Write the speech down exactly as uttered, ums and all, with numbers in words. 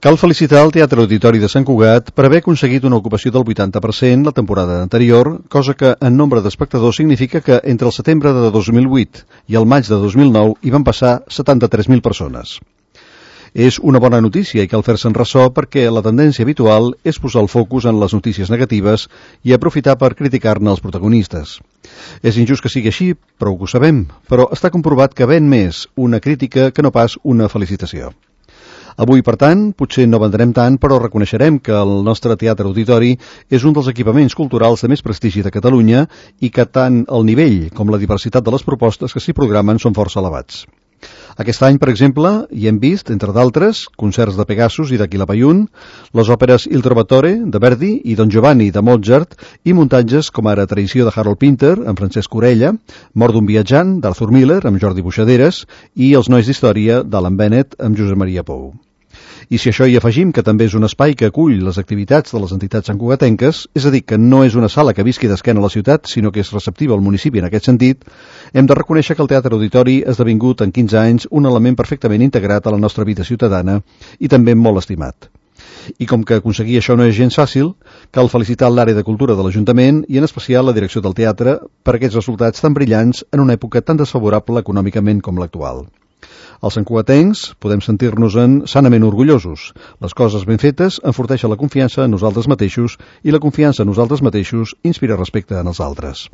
Cal felicitar el Teatre Auditori de Sant Cugat per haver aconseguit una ocupació del vuitanta per cent la temporada anterior, cosa que en nombre d'espectadors significa que entre el setembre de dos mil vuit i el maig de dos mil nou hi van passar setanta-tres mil persones. És una bona notícia i cal fer-se'n ressò perquè la tendència habitual és posar el focus en les notícies negatives i aprofitar per criticar-ne els protagonistes. És injust que sigui així, prou que ho sabem, però està comprovat que ven més una crítica que no pas una felicitació. Avui, per tant, potser no vendrem tant, però reconeixerem que el nostre teatre auditori és un dels equipaments culturals de més prestigi de Catalunya i que tant el nivell com la diversitat de les propostes que s'hi programen són força elevats. Aquest any, per exemple, hi hem vist, entre d'altres, concerts de Pegasus i de Quilapayún, les òperes Il Trovatore, de Verdi, i Don Giovanni, de Mozart, i muntatges com ara Traïció, de Harold Pinter, amb Francesc Orella, Mort d'un viatjant, d'Arthur Miller, amb Jordi Buixaderes, i Els nois d'història, d'Alan Bennett, amb Josep Maria Pou. I si això hi afegim que també és un espai que acull les activitats de les entitats santcugatenques, és a dir, que no és una sala que visqui d'esquena a la ciutat, sinó que és receptiva al municipi en aquest sentit, hem de reconèixer que el Teatre Auditori ha esdevingut en quinze anys un element perfectament integrat a la nostra vida ciutadana i també molt estimat. I com que aconseguir això no és gens fàcil, cal felicitar l'àrea de cultura de l'Ajuntament i en especial la direcció del teatre per aquests resultats tan brillants en una època tan desfavorable econòmicament com l'actual. Els santcugatencs podem sentir-nos-en sanament orgullosos. Les coses ben fetes enforteixen la confiança en nosaltres mateixos i la confiança en nosaltres mateixos inspira respecte en els altres.